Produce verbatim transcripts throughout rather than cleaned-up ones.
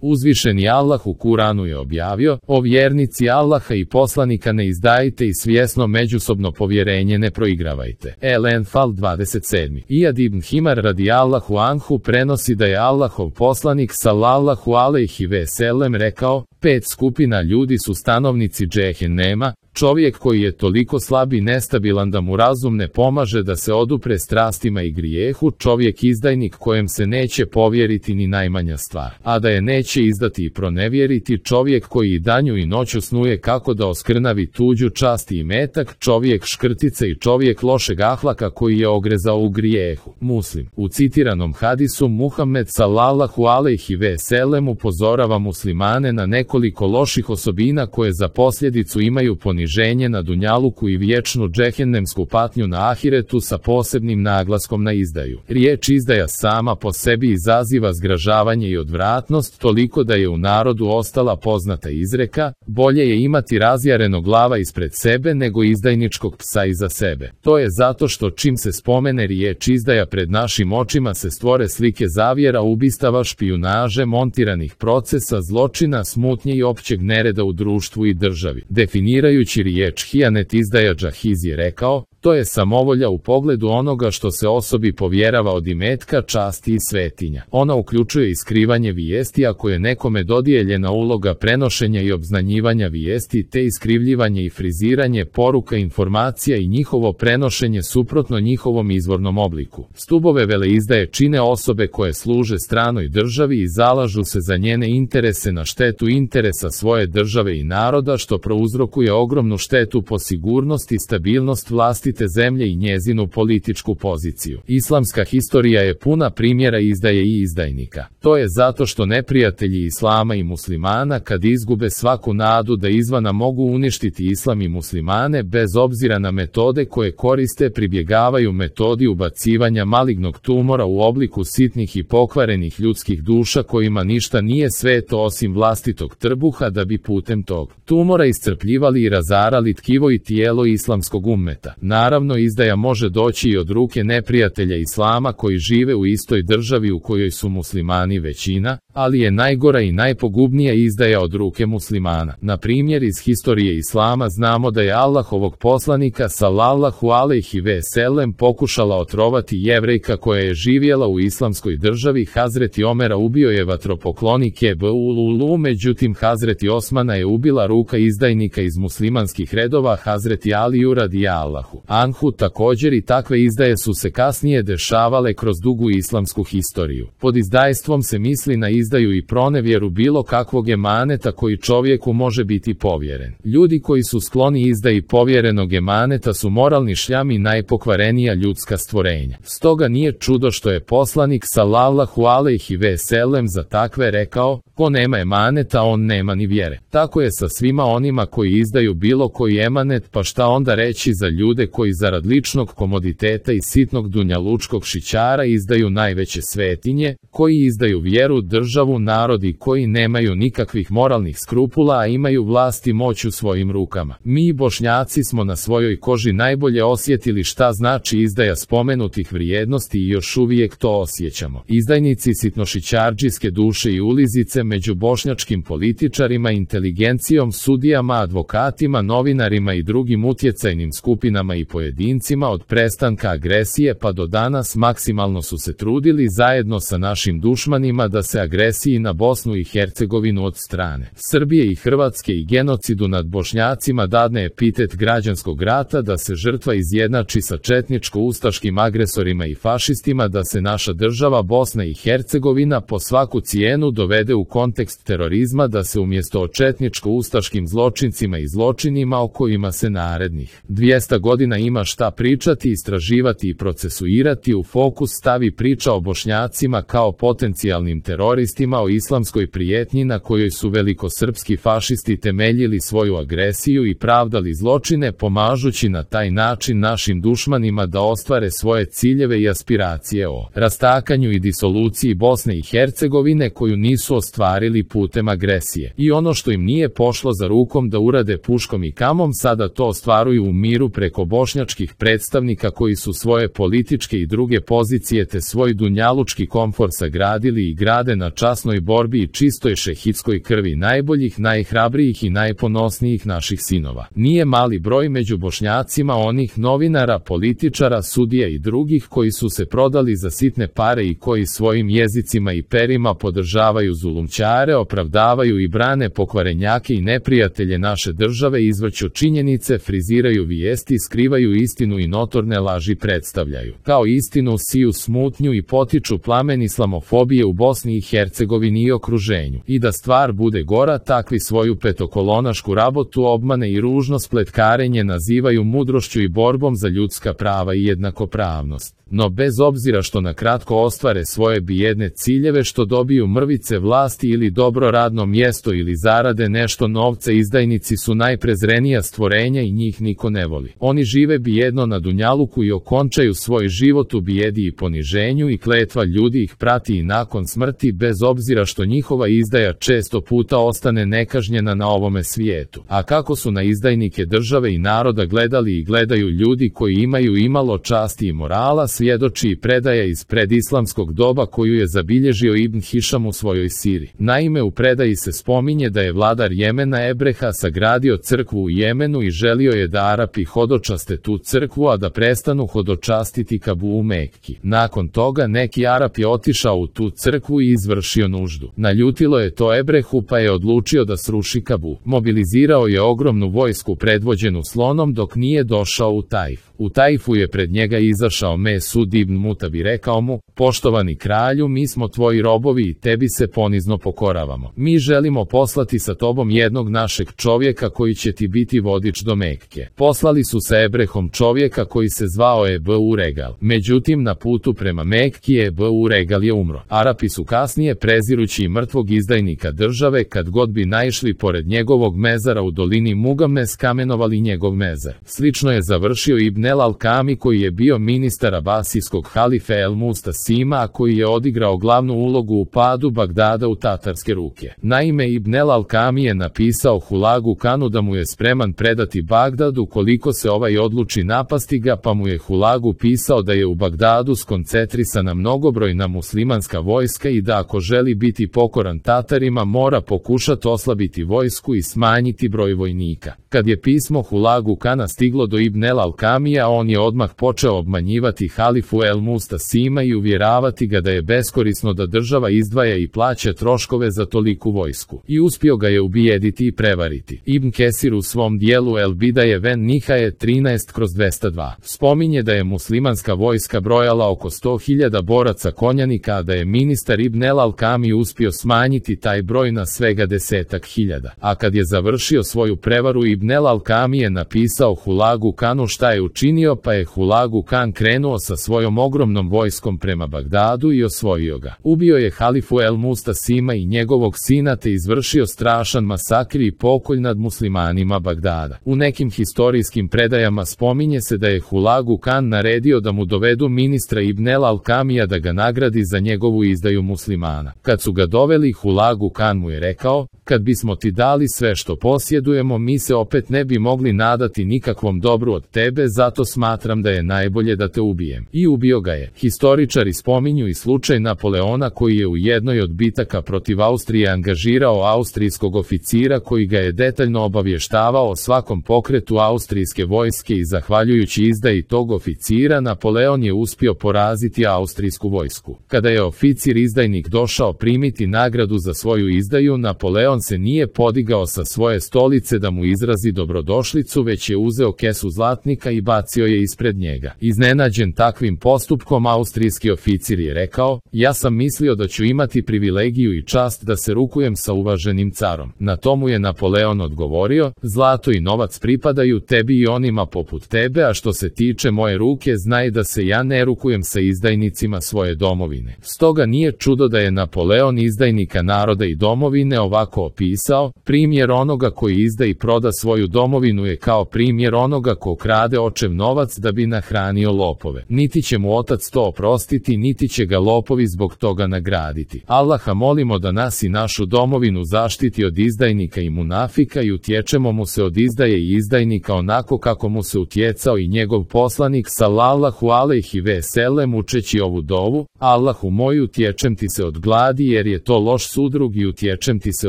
Uzvišeni Allah u Kuranu je objavio: o vjernici Allaha i poslanika ne izdajte i svjesno međusobno povjerenje ne proigravajte. El-Enfal dvadeset sedam. Ijad ibn Himar radijallahu anhu prenosi da je Allahov poslanik sallallahu alejhi ve sellem rekao: pet skupina ljudi su stanovnici džehennema, čovjek koji je toliko slab i nestabilan da mu razum ne pomaže da se odupre strastima i grijehu, čovjek izdajnik kojem se neće povjeriti ni najmanja stvar, a da je neće izdati i pronevjeriti, čovjek koji i danju i noću snuje kako da oskrnavi tuđu čast i imetak, čovjek škrtice i čovjek lošeg ahlaka koji je ogrezao u grijehu. Muslim. U citiranom hadisu Muhammed sallallahu alejhi ve sellem upozorava muslimane na nekoliko loših osobina koje za posljedicu imaju poniženje na dunjaluku i vječnu džehennemsku patnju na ahiretu sa posebnim naglaskom na izdaju. Riječ izdaja sama po sebi izaziva zgražavanje i odvratnost, toliko da je u narodu ostala poznata izreka: bolje je imati razjarenog glava ispred sebe nego izdajničkog psa iza sebe. To je zato što čim se spomene riječ izdaja pred našim očima se stvore slike zavjera, ubistava, špijunaže, montiranih procesa, zločina, smutnje i općeg nereda u društvu i državi. Definirajući riječ hijanet, izdaja Džahiz je rekao: to je samovolja u pogledu onoga što se osobi povjerava od imetka, časti i svetinja. Ona uključuje i skrivanje vijesti ako je nekome dodijeljena uloga prenošenja i obznanjivanja vijesti, te iskrivljivanje i friziranje poruka, informacija i njihovo prenošenje suprotno njihovom izvornom obliku. Stubove veleizdaje čine osobe koje služe stranoj državi i zalažu se za njene interese na štetu interesa svoje države i naroda, što prouzrokuje ogromnu štetu po sigurnost i stabilnost vlasti te zemlje i njezinu političku poziciju. Islamska historija je puna primjera izdaje i izdajnika. To je zato što neprijatelji islama i muslimana kad izgube svaku nadu da izvana mogu uništiti islam i muslimane, bez obzira na metode koje koriste, pribjegavaju metodi ubacivanja malignog tumora u obliku sitnih i pokvarenih ljudskih duša kojima ništa nije sveto osim vlastitog trbuha, da bi putem tog tumora iscrpljivali i razarali tkivo i tijelo islamskog ummeta. Naravno, izdaja može doći i od ruke neprijatelja islama koji žive u istoj državi u kojoj su muslimani većina, ali je najgora i najpogubnija izdaja od ruke muslimana. Na primjer, iz historije islama znamo da je Allahovog poslanika sallallahu alejhi ve sellem pokušala otrovati Jevrejka koja je živjela u islamskoj državi. Hazreti Omera ubio je vatropoklonik Ebu Lulu, međutim Hazreti Osmana je ubila ruka izdajnika iz muslimanskih redova Hazreti Aliju radijallahu anhu. Također i takve izdaje su se kasnije dešavale kroz dugu islamsku historiju. Pod izdajstvom se misli na izdaju i pronevjeru bilo kakvog emaneta koji čovjeku može biti povjeren. Ljudi koji su skloni izdaji povjerenog emaneta su moralni šljam i najpokvarenija ljudska stvorenja. Stoga nije čudo što je poslanik sallallahu alejhi ve sellem za takve rekao: ko nema emaneta, on nema ni vjere. Tako je sa svima onima koji izdaju bilo koji emanet, pa šta onda reći za ljude koji zarad ličnog komoditeta i sitnog dunjalučkog šićara izdaju najveće svetinje, koji izdaju vjeru, državu, narod i koji nemaju nikakvih moralnih skrupula, a imaju vlast i moć u svojim rukama. Mi Bošnjaci smo na svojoj koži najbolje osjetili šta znači izdaja spomenutih vrijednosti i još uvijek to osjećamo. Izdajnici sitnošićardžijske duše i ulizice među bošnjačkim političarima, inteligencijom, sudijama, advokatima, novinarima i drugim utjecajnim skupinama i pojedincima od prestanka agresije pa do danas maksimalno su se trudili zajedno sa našim dušmanima da se agresiji na Bosnu i Hercegovinu od strane Srbije i Hrvatske i genocidu nad Bošnjacima dadne epitet građanskog rata, da se žrtva izjednači sa četničko-ustaškim agresorima i fašistima, da se naša država Bosna i Hercegovina po svaku cijenu dovede u kontekst terorizma, da se umjesto o četničko-ustaškim zločincima i zločinima o kojima se narednih dvjesto godina ima šta pričati, istraživati i procesuirati, u fokus stavi priča o Bošnjacima kao potencijalnim teroristima, o islamskoj prijetnji na kojoj su velikosrpski fašisti temeljili svoju agresiju i pravdali zločine, pomažući na taj način našim dušmanima da ostvare svoje ciljeve i aspiracije o rastakanju i disoluciji Bosne i Hercegovine koju nisu ostvarili ostvarili putem agresije. I ono što im nije pošlo za rukom da urade puškom i kamom, sada to ostvaruju u miru preko bošnjačkih predstavnika koji su svoje političke i druge pozicije te svoj dunjalučki komfor sagradili i grade na časnoj borbi i čistoj šehidskoj krvi najboljih, najhrabrijih i najponosnijih naših sinova. Nije mali broj među Bošnjacima onih novinara, političara, sudija i drugih koji su se prodali za sitne pare i koji svojim jezicima i perima podržavaju zulumčare, opravdavaju i brane pokvarenjake i neprijatelje naše države, izvrću činjenice, friziraju vijesti, skrivaju istinu i notorne laži predstavljaju kao istinu, siju smutnju i potiču plamen islamofobije u Bosni i Hercegovini i okruženju. I da stvar bude gora, takvi svoju petokolonašku rabotu obmane i ružno spletkarenje nazivaju mudrošću i borbom za ljudska prava i jednakopravnost. No bez obzira što na kratko ostvare svoje bijedne ciljeve, što dobiju mrvice vlasti ili dobro radno mjesto ili zarade nešto novca, izdajnici su najprezrenija stvorenja i njih niko ne voli. Oni žive bijedno na dunjaluku i okončaju svoj život u bijedi i poniženju i kletva ljudi ih prati i nakon smrti, bez obzira što njihova izdaja često puta ostane nekažnjena na ovome svijetu. A kako su na izdajnike države i naroda gledali i gledaju ljudi koji imaju imalo časti i morala, svjedoči i predaja iz predislamskog doba koju je zabilježio Ibn Hišam u svojoj siri. Naime, u predaji se spominje da je vladar Jemena Ebreha sagradio crkvu u Jemenu i želio je da Arapi hodočaste tu crkvu, a da prestanu hodočastiti Kabu u Mekki. Nakon toga neki Arap je otišao u tu crkvu i izvršio nuždu. Naljutilo je to Ebrehu, pa je odlučio da sruši Kabu. Mobilizirao je ogromnu vojsku predvođenu slonom dok nije došao u Tajf. U Tajfu je pred njega izašao Mesud ibn Mutab i rekao mu: poštovani kralju, mi smo tvoji robovi i tebi se ponizno pokoravamo. Mi želimo poslati sa tobom jednog našeg čovjeka koji će ti biti vodič do Mekke. Poslali su sa Ebrehom čovjeka koji se zvao Ebu Regal. Međutim, na putu prema Mekki Ebu Regal je umro. Arapi su kasnije, prezirući mrtvog izdajnika države, kad god bi naišli pored njegovog mezara u dolini Mugames, kamenovali njegov mezar. Slično je završio Ibn el-Alkami, koji je bio ministar abasijskog halife el-Mustasima, a koji je odigrao glavnu ulogu u padu Bagdada u tatarske ruke. Naime, Ibn el-Alkami je napisao Hulagu Kanu da mu je spreman predati Bagdad ukoliko se ovaj odluči napasti ga, pa mu je Hulagu pisao da je u Bagdadu skoncentrisana mnogobrojna muslimanska vojska i da ako želi biti pokoran Tatarima mora pokušati oslabiti vojsku i smanjiti broj vojnika. Kad je pismo Hulagu Kana stiglo do Ibn el-Alkamija, on je odmah počeo obmanjivati halifu el-Mustasima i uvjeravati ga da je beskorisno da država izdvaja i plaća troškove za toliku vojsku. I uspio ga je ubijediti i prevariti. Ibn Kesir u svom dijelu El Bidaje ven Nihaje trinaest kroz dvesta dva spominje da je muslimanska vojska brojala oko sto hiljada boraca konjanika, a da je ministar Ibn el-Alkami uspio smanjiti taj broj na svega desetak hiljada. A kad je završio svoju prevaru, Ibn el-Alkami je napisao Hulagu Kanu šta je učinio, pa je Hulagu Kan krenuo sa svojom ogromnom vojskom prema Bagdadu i osvojio ga. Ubio je halifu el-Mustasima i njegovog sina te izvršio strašan masakr i pokolj nad muslimanima Bagdada. U nekim historijskim predajama spominje se da je Hulagu Kan naredio da mu dovedu ministra Ibn el-Alkamija da ga nagradi za njegovu izdaju muslimana. Kad su ga doveli, Hulagu Kan mu je rekao: kad bismo ti dali sve što posjedujemo, mi se opet ne bi mogli nadati nikakvom dobru od tebe, zato smatram da je najbolje da te ubijem. I ubio ga je. Historičari spominju i slučaj Napoleona koji je u jednoj od bitaka protiv Austrije angažirao austrijskog oficira koji ga je detaljno obavještavao o svakom pokretu austrijske vojske i zahvaljujući izdaji tog oficira Napoleon je uspio poraziti austrijsku vojsku. Kada je oficir izdajnik došao primiti nagradu za svoju izdaju, Napoleon se nije podigao sa svoje stolice da mu izrazi dobrodošlicu, već je uzeo kesu zlatnika i bacio je ispred njega. Iznenađen takvim postupkom, austrijski oficir je rekao: ja sam mislio da ću imati privilegiju i čast da se rukujem sa uvaženim carom. Na tomu je Napoleon odgovorio: zlato i novac pripadaju tebi i onima poput tebe, a što se tiče moje ruke, znaj da se ja ne rukujem sa izdajnicima svoje domovine. Stoga nije čudo da je Napoleon izdajnika naroda i domovine ovako opisao: primjer onoga koji izda i proda svoj svoju domovinu je kao primjer onoga ko krade očev novac da bi nahranio lopove. Niti će mu otac to oprostiti, niti će ga lopovi zbog toga nagraditi. Allaha molimo da nas i našu domovinu zaštiti od izdajnika i munafika i utječemo mu se od izdaje i izdajnika onako kako mu se utjecao i njegov poslanik sallallahu alejhi ve sellem učeći ovu dovu: Allahu moj, utječem ti se od gladi jer je to loš sudrug i utječem ti se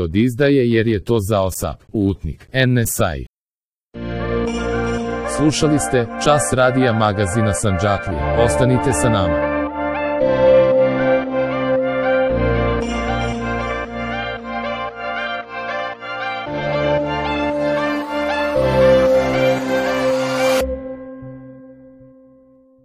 od izdaje jer je to zaosap. Utnik. En-Nesai. Slušali ste Čas radija magazina Sandžaklije. Ostanite sa nama.